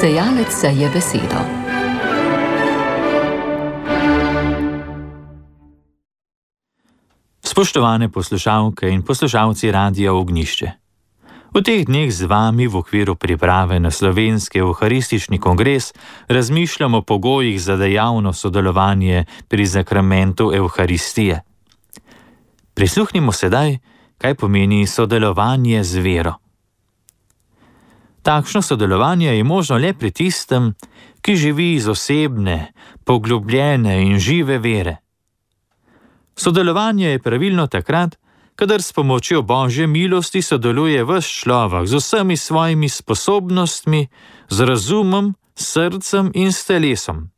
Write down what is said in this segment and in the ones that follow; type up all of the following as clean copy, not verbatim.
Sejalec seje besedo. Spoštovane poslušalke in poslušalci Radia Ognjišče. V teh dneh z vami v okviru priprave na Slovenski evharistični kongres razmišljamo o pogojih za dejavno sodelovanje pri zakramentu Evharistije. Prisluhnimo sedaj, kaj pomeni sodelovanje z vero. Takšno sodelovanje je možno le pri tistem, ki živi iz osebne, poglobljene in žive vere. Sodelovanje je pravilno takrat, kadar s pomočjo Božje milosti sodeluje ves človek z vsemi svojimi sposobnostmi, z razumom, srcem in s telesom.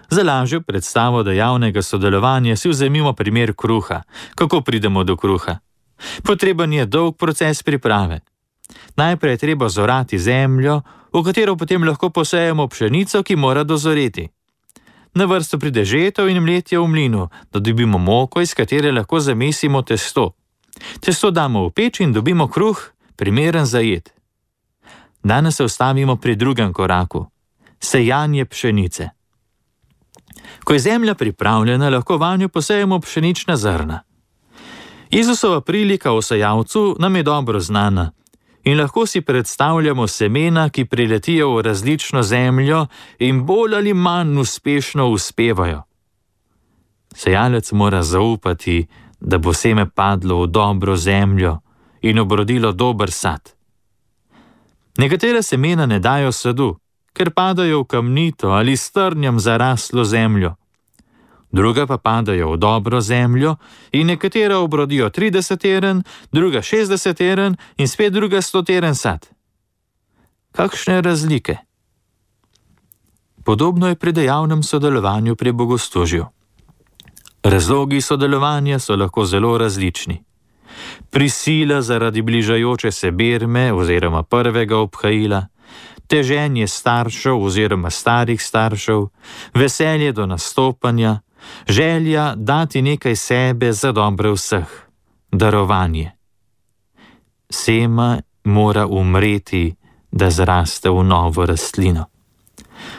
Za lažjo predstavo dejavnega sodelovanja si vzemimo primer kruha. Kako pridemo do kruha? Potreben je dolg proces priprave. Najprej je treba zorati zemljo, v katero potem lahko posejemo pšenico, ki mora dozoreti. Na vrsto pride žetev in mletje v mlinu, da dobimo moko, iz katere lahko zamesimo testo. Testo damo v peč in dobimo kruh, primeren za jed. Danes se ustavimo pri drugem koraku, sejanje pšenice. Ko je zemlja pripravljena, lahko vanjo posejemo pšenična zrna. Jezusova prilika o sejalcu nam je dobro znana in lahko si predstavljamo semena, ki priletijo v različno zemljo in bolj ali manj uspešno uspevajo. Sejalec mora zaupati, da bo seme padlo v dobro zemljo in obrodilo dober sad. Nekatera semena ne dajo sadu, ker padajo v kamnito ali strnjam zaraslo zemljo. Druga pa padajo v dobro zemljo in nekatera obrodijo 30 teren, druga 60 teren in spet druga 100 teren sad. Kakšne razlike? Podobno je pri dejavnem sodelovanju pri bogoslužju. Razlogi sodelovanja so lahko zelo različni. Prisila zaradi bližajoče se berme oziroma prvega obhajila, teženje staršev oziroma starih staršev, veselje do nastopanja, želja dati nekaj sebe za dobro vseh, darovanje. Sema mora umreti, da zraste v novo rastlino.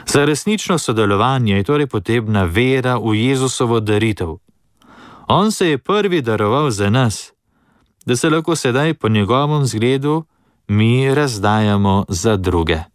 Za resnično sodelovanje je torej potrebna vera v Jezusovo daritev. On se je prvi daroval za nas, da se lahko sedaj po njegovem zgledu mi razdajamo za druge.